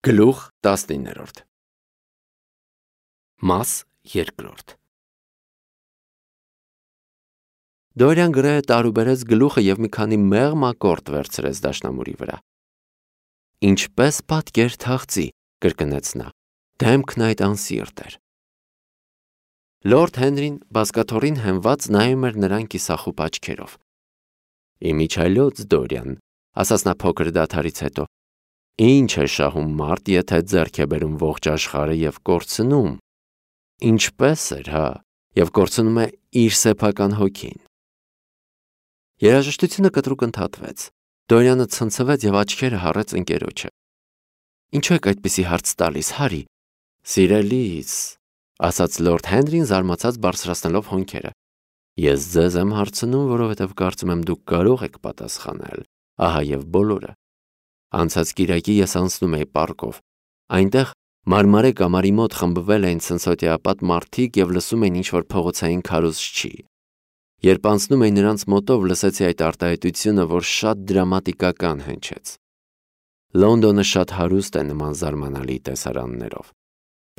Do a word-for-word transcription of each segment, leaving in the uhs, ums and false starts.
Գլուխ տասնիններորդ Մաս երկրորդ Դորյան գրեհը տարուբերեց գլուխը և մի քանի մեղմ ակորդ վերցրեց դաշնամուրի վրա։ Ինչպես պատկեր թաղծի, կրկնեց նա, դեմքն այդ անսիրտ էր։ Լորդ Հենրին բազկաթոռին հենված նայում էր նրան կիսախուպ աչքերով։ Իմիջայլոց Դորյան, ասաց նա փոքր դադարից հետո, ինչ է շահում մարդ, եթե ձեռք է բերում ողջ աշխարհը և կորցնում, ինչպես էր, հա, և կորցնում է իր սեփական հոգին։ Երաժշտությունը կտրուկ ընդհատվեց։ Դորյանը ցնցվեց և աչքերը հառեց ընկերոջը։ Ինչու եք այդպիսի հարց տալիս, Հարի։ Սիրելիս, ասաց լորդ Հենրին զարմացած բարձրացնելով հոնքերը։ Ես ձեզ եմ հարցնում, որովհետև կարծում եմ դուք կարող եք պատասխանել, ահա և բոլորը։ Անցած կիրակի ես անցնում էի պարկով։ Այնտեղ մարմարե կամարի մոտ խմբվել էին ցնցոտիապատ մարդիկ և լսում էին ինչ-որ փողոցային քարոզչի։ Երբ անցնում էի նրանց մոտով, լսեցի այդ արտահայտությունը, որ շատ դրամատիկական հնչեց։ Լոնդոնը շատ հարուստ է նման զարմանալի տեսարաններով։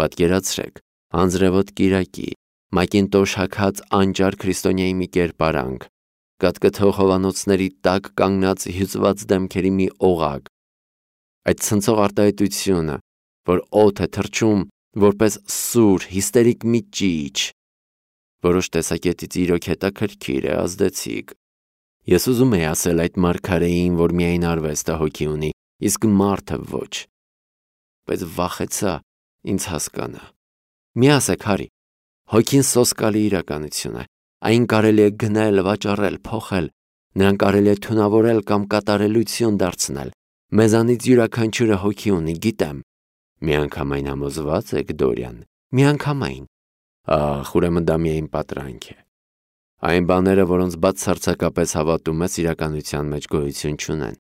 Պատկերացրեք, անձրևոտ կիրակի, մակինտոշ հագած անճար քրիստոնյայի մի կերպարանք, կատկթող հովանոցների տակ կանգնած հյուծված դեմքերի մի օղակ, այդ ցնցող արտահայտությունը, որ օդ է թռչում որպես սուր, հիստերիկ մի ճիչ, որոշ տեսակետից իրոք հետաքրքիր է, ազդեցիկ։ Ես ուզում էի ասել այդ մարգարեին, որ միայն արվեստը հոգի ունի, իսկ մարդը ոչ, բայց վախեցա ինձ հասկանա։ Մի ասեք, Հարի, հոգին սոսկալի իրականություն է, այն կարելի է գնել, վաճառել, փոխել, նրան կարելի է թունավորել կամ կատարելություն դարձնել։ Մեզանից յուրաքանչյուրը հոգի ունի, գիտեմ։ Միանգամայն համոզվա՞ծ եք, Դորյան, միանգամայն։ Ախ, ուրեմն դա միայն պատրանք է։ Այն բաները, որոնց բացարձակապես հավատում ես, իրականության մեջ գոյություն չունեն։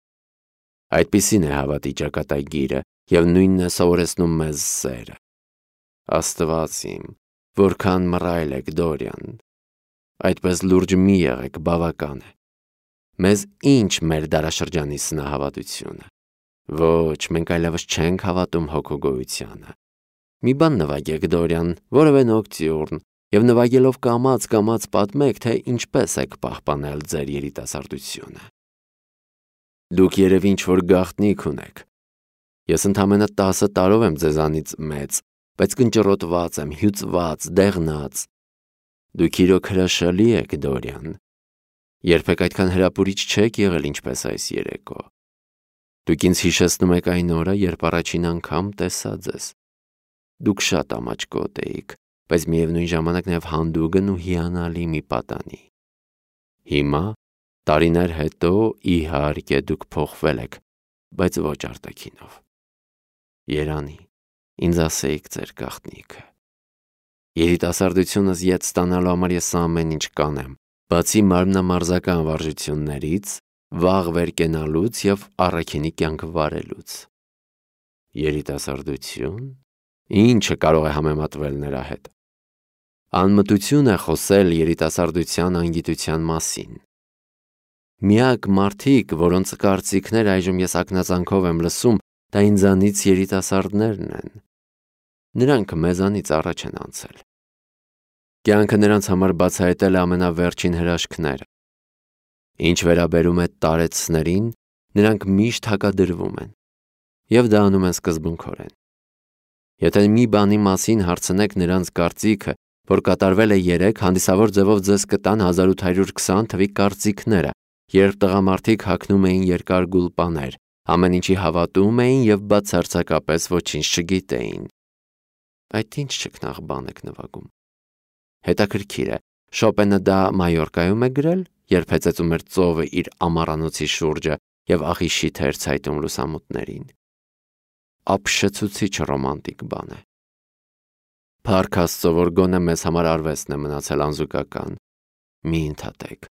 Այդպիսին է հավատի ճակատագիրը և նույնն է սովորեցնում մեզ սերը։ Աստված իմ, որքան մռայլ եք, Դորյան։ Այդպես լուրջ մի եղեք, բավական է։ Մեզ ինչ մեր դարաշրջանի սնահավատությունը։ Ոչ, մենք այլևս չենք հավատում հոգու գոյությանը։ Մի բան նվագեք, Դորյան, որևէ նոկտյուրն, և նվագելով կամաց-կամաց պատմեք, թե ինչպես եք պահպանել ձեր երիտասարդությունը։ Դուք երևի ինչ-որ գաղտնիք ունեք։ Ես ընդամենը տասը տարով եմ ձեզանից մեծ, բայց կնճռոտված եմ, հյուծված, դեղնած։ Դուք իրոք հրաշալի եք, Դորյան։ Երբեք այդքան հրապուրիչ չեք եղել, ինչպես այս երեկո։ Դուք ինձ հիշեցնում եք այն օրը, երբ առաջին անգամ տեսա ձեզ։ Դուք շատ ամաչկոտ էիք, բայց միևնույն ժամանակ նաև հանդուգն ու հիանալի մի պատանի։ Հիմա, տարիներ հետո, իհարկե, դուք փոխվել եք, բայց ոչ արտաքինով։ Երանի, ինձ ասեիք ձեր գաղտնիքը։ Երիտասարդությունս ետ ստանալու համար ես ամեն ինչ կանեմ, բացի մարմնամարզական վարժություններից, վաղ վեր կենալուց և առաքինի կյանք վարելուց։ Երիտասարդություն։ Ինչը կարող է համեմատվել նրա հետ։ Անմտություն է խոսել երիտասարդության անգիտության մասին։ Միակ մարդիկ, որոնց կարծիքներ այժմ ես ակնածանքով եմ լսում, դա ինձանից երիտասարդներն են։ Նրանք մեզանից առաջ են անցել։ Կյանքը նրանց համար բացահայտել է ամենավերջին հրաշքները։ Ինչ վերաբերում է տարեցներին, նրանք միշտ հակադրվում են, և դա անում են սկզբունքորեն։ Եթե մի բանի մասին հարցնեք նրանց կարծիքը, որ կատարվել է երեկ, հանդիսավոր ձևով ձեզ կտան հազար ութ հարյուր քսան թվի կարծիքները, երբ տղամարդիկ հագնում էին երկար գուլպաներ, ամեն ինչի հավատում էին և բացարձակապես ոչինչ չգիտեին։ Այդ ինչ չքնաղ բան եք նվագում։ Հետաքրքիր է, Շոպենը դա Մայորկայում է գրել, երբ հեծեծում էր ծովը իր ամառանոցի շուրջը և աղիշի թեր ցայտում լուսամուտներին։ Ապշեցուցիչ ռոմանտիկ բան է։ Փառք Աստծո, որ գոնե մեզ համար արվեստն է մնացել անզուգական։ Մի ընդհատեք։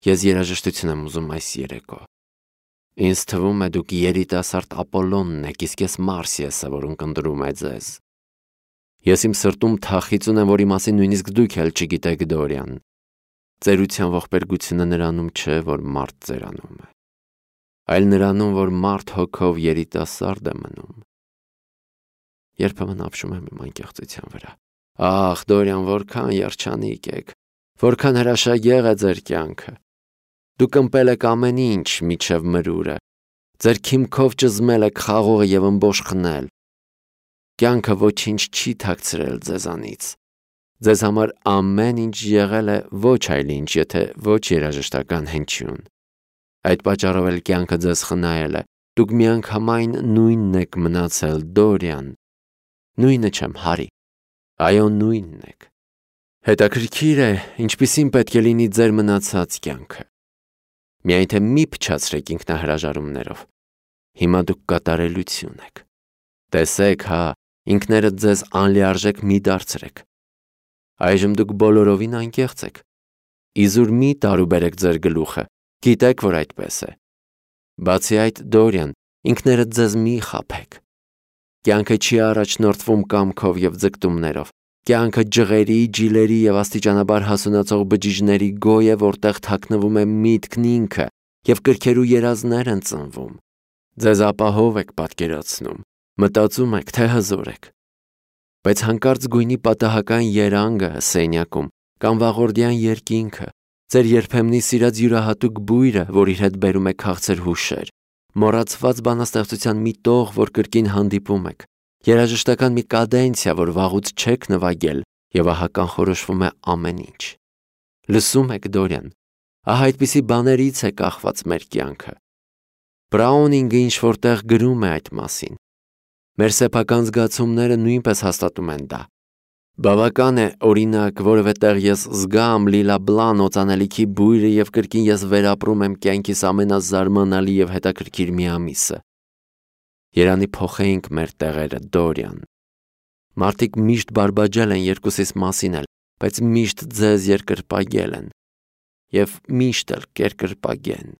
Ես երաժշտություն եմ ուզում այս երեկո։ Ինձ թվում է դուք երիտասարդ Ապոլոնն եք, իսկ ես Մարսիեսը, որ ունկնդրում է ձեզ։ Ես իմ սրտում թախիծ ունեմ, որի մասին նույնիսկ դուք էլ չգիտեք, Դորյան։ Ծերության ողբերգությունը նրանում չէ, որ մարդ ծերանում է, այլ նրանում, որ մարդ հոգով երիտասարդ է մնում։ Երբեմն ապշում եմ իմ անկեղծության վրա։ Ախ, Դորիան, որքան երջանիկ եք, որքան հրաշագեղ է ձեր կյանքը։ Դուք ըմպել եք ամեն ինչ միջև մրուրը, ձեր քիմքով ճզմել եք խաղողը և ըմբոշխնել։ Կյանքը ոչինչ չի թաքցրել ձեզանից։ Ձեզ համար ամեն ինչ եղել է ոչ այլ ինչ, եթե ոչ երաժշտական հնչյուն։ Այդ պատճառով էլ կյանքը ձեզ խնայել է։ Դուք միանգամայն նույնն եք մնացել, Դորիան։ Նույնը չեմ, Հարի։ Այո, նույնն եք։ Հետաքրքիր է, ինչպիսին պետք է լինի ձեր մնացած կյանքը։ Միայն թե մի փչացրեք ինքնահրաժարումներով։ Հիմա դուք կատարելություն եք։ Տեսեք, հա, ինքներդ ձեզ անլիարժեք մի դարձրեք։ Այժմ դուք բոլորովին անկեղծ եք։ Իզուր մի տարուբերեք ձեր գլուխը, գիտեք, որ այդպես է։ Բացի այդ, Դորիան, ինքներդ ձեզ մի խաբեք։ Կյանքը չի առաջնորդվում կամքով և ձգտումներով։ Կյանքը ջղերի, ջիլերի և աստիճանաբար հասունացող բջիջների գոյ է, որտեղ թաքնվում է միտքն ինքը և կրքերու երազներ են ծնվում։ Ձեզ ապահով եք պատկերացնում, մտածում եք, թե հզոր եք։ Բայց հանկարծ գույնի պատահական երանգը սենյակում կամ վաղորդյան երկինքը, ձեր երբեմնի սիրած յուրահատուկ բույրը, որ իր հետ բերում է քաղցր հուշեր, մոռացված բանաստեղծության մի տող, որ կրկին հանդիպում եք, երաժշտական մի կադենցիա, որ վաղուց չեք նվագել, և ահա կանխորոշվում է ամեն ինչ։ Լսում եք, Դորիան, ահա այդպիսի բաներից է կախված մեր կյանքը։ Բրաունինգը ինչ-որ տեղ գրում է այդ մասին։ Մեր սեփական զգացումները նույնպես հաստատում են դա։ Բավական է, օրինակ, որևէ տեղ ես զգամ լիլաբլան օծանելիքի բույրը և կրկին ես վերապրում եմ կյանքիս ամենազարմանալի և հետաքրքիր մի ամիսը։ Երանի փոխեինք մեր տեղերը, Դորիան։ Մարդիկ միշտ բարբաջել են երկուսիս մասին էլ, բայց միշտ ձեզ երկրպագել են և միշտ էլ կերկրպագեն։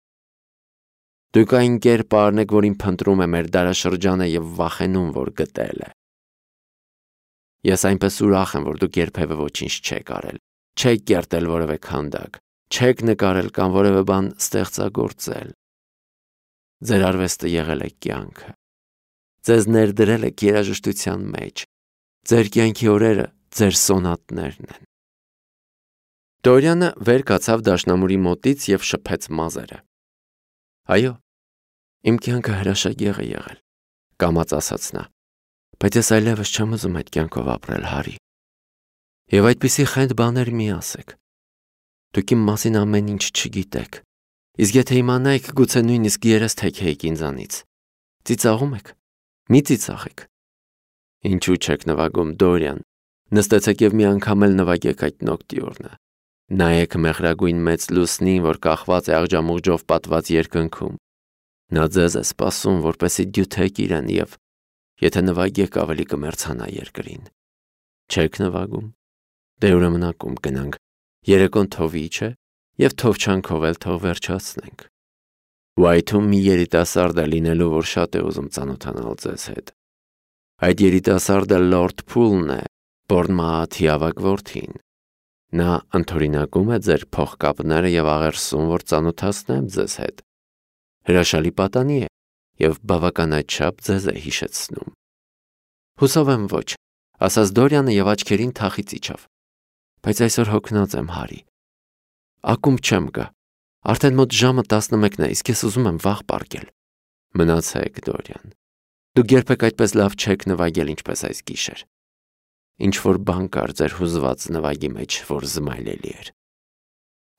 Դուք այն կերպարն եք, որին փնտրում է մեր դարաշրջանը և վախենում, որ գտել է։ Ես այնպես ուրախ եմ, որ դուք երբևէ ոչինչ չեք արել, չեք կերտել որևէ քանդակ, չեք նկարել կամ որևէ բան ստեղծագործել։ Ձեր արվեստը եղել է կյանքը։ Ձեզ ներդրել եք երաժշտության մեջ։ Ձեր կյանքի օրերը ձեր սոնատներն են։ Դորիանը վեր կացավ դաշնամուրի մոտից և շփեց մազերը։ Այո, իմ կյանքը հրաշագեղ է եղել, կամաց ասաց նա, բայց ես այլևս չեմ ուզում այդ կյանքով ապրել, Հարի։ Եվ այդպիսի խենթ բաներ մի ասեք։ Դուք իմ մասին ամեն ինչ չգիտեք։ Իսկ եթե իմանայիք, գուցե նույնիսկ երես թեքեիք ինձանից։ Ծիծաղում եք։ Մի ծիծաղեք։ Ինչու չեք նվագում, Դորիան։ Նստեցեք և մի անգամ էլ նվագեք այդ նոկտյուրնը։ Նայեք մեղրագույն մեծ լուսնին, որ կախված է աղջամուղջով պատված երկնքում։ Նա ձեզ է սպասում, որպեսզի դյութեք իրեն և եթե նվագեք, ավելի կմեռցանա երկրին։ Չեք նվագում։ Դե ուրեմն ակումբ գնանք։ Երեկոն թովի չէ, և թովչանքով էլ թող վերջացնենք։ Ուայթում մի երիտասարդ է լինելու, որ շատ է ուզում ծանոթանալ ձեզ հետ։ Այդ երիտասարդը Լորդ Փուլն է, Բորնմաթի ավագ որդին։ Նա ընդօրինակում է ձեր փողկապները և աղերսում, որ ծանոթացնեմ ձեզ հետ։ Հրաշալի պատանի է և բավականաչափ ձեզ է հիշեցնում։ Հուսով եմ ոչ, ասաց Դորիանը և աչքերին թախիծ իջավ։ Բայց այսօր հոգնած եմ, Հարի։ Ակումբ չեմ գա։ Արդեն մոտ ժամը տասնմեկն է, իսկ ես ուզում եմ վաղ պառկել։ Մնացեք, Դորիան։ Դուք երբեք այդպես լավ չեք նվագել, ինչպես այս գիշեր։ Ինչ-որ բան կար ձեր հուզված նվագի մեջ, որ զմայլելի էր։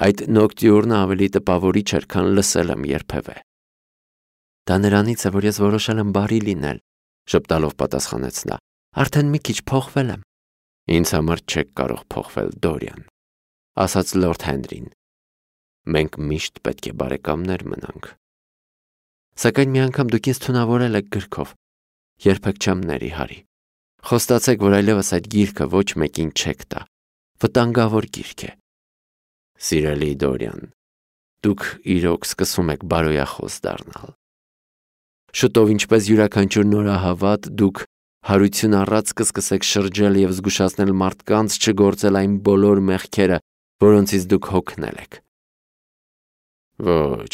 Այդ նոկտյուրնը ավելի տպավորիչ էր, քան լսել եմ երբևէ։ Դա նրանից է, որ ես որոշել եմ բարի լինել, ժպտալով պատասխանեց նա։ Արդեն մի քիչ փոխվել եմ։ Ինձ համար չեք կարող փոխվել, Դորիան, ասաց Լորդ Հենրին։ Մենք միշտ պետք է բարեկամներ մնանք։ Սակայն մի անգամ դուք ինձ թունավորել եք գրքով։ Երբեք չեմ ների, Հարի։ Խոստացեք, որ այլևս այդ գիրքը ոչ մեկին չեք տա։ Վտանգավոր գիրք է։ Սիրելի Դորիան, դուք իրոք սկսում եք բարոյախոս դառնալ։ Շուտով, ինչպես յուրաքանչյուր նորահավատ, դուք հարություն առած կսկսեք շրջել և զգուշացնել մարդկանց չգործել այն բոլոր մեղքերը, որոնցից դուք հոգնել եք։ Ոչ,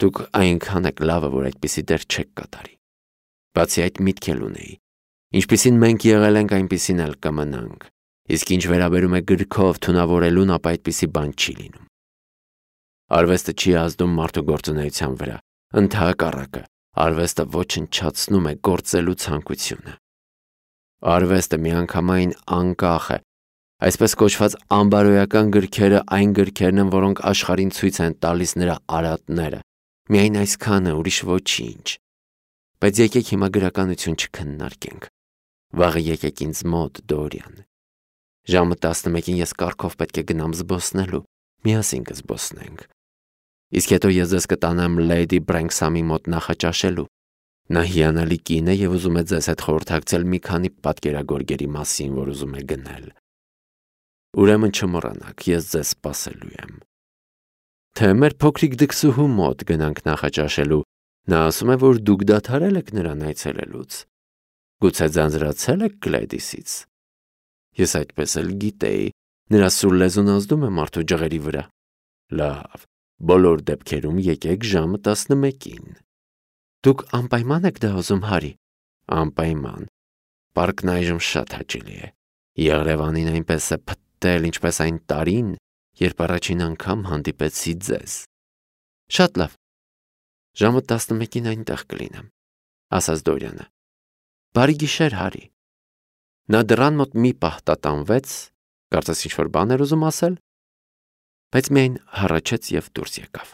դուք այնքան եք լավը, որ այդպիսի դեր չեք կատարի։ Բացի այդ, միտք էլ ունեի։ Ինչպիսին մենք եղել ենք, այնպիսին էլ կմնանք, իսկ ինչ վերաբերում է գրքով թունավորելուն, ապա այդպիսի բան չի լինում։ Արվեստը չի ազդում մարդու գործունեության վրա, ընդհակառակը, արվեստը ոչնչացնում է գործելու ցանկությունը։ Արվեստը միանգամայն անկախ է, այսպես կոչված անբարոյական գրքերը այն գրքերն են, որոնք աշխարհին ցույց են տալիս նրա արատները, միայն այսքանը, ուրիշ ոչինչ։ Բայց եկեք հիմա գրականություն չքննարկենք։ Վաղը եկեք ինձ մոտ, Դորիան։ Ժամը տասնմեկին ես կառքով պետք է գնամ զբոսնելու, միասին կզբոսնենք։ Իսկ հետո ես ձեզ կտանեմ Լեյդի Բրենքսամի մոտ նախաճաշելու։ Նա հիանալի կին է և ուզում է ձեզ հետ խորհրդակցել մի քանի պատկերագորգերի մասին, որ ուզում է գնել։ Ուրեմն չմոռանաք, ես ձեզ սպասելու եմ։ Թե մեր փոքրիկ դքսուհու մոտ գնանք նախաճաշելու, նա ասում է, որ դուք դադարել եք նրան այցելելուց։ Գուցե ձանձրացել եք Գլեդիսից։ Ես այդպես էլ գիտեի, նրա սուր լեզուն ազդում է մարդու ջղերի վրա։ Լավ, բոլոր դեպքերում եկեք ժամը տասնմեկին։ Դուք անպայման եք դա ուզում, Հարի։ Անպայման։ Պարկն այժմ շատ հաճելի է։ Եղրևանին այնպես է փտտել, ինչպես այն տարին, երբ առաջին անգամ հանդիպեցի ձեզ։ Շատ լավ։ Ժամը տասնմեկին այնտեղ կլինեմ, ասաց Դորիանը։ Բարի գիշեր, Հարի։ Նա դռան մոտ մի պահ տատանվեց, կարծես ինչ-որ բան էր ուզում ասել, բայց միայն հառաչեց և դուրս եկավ։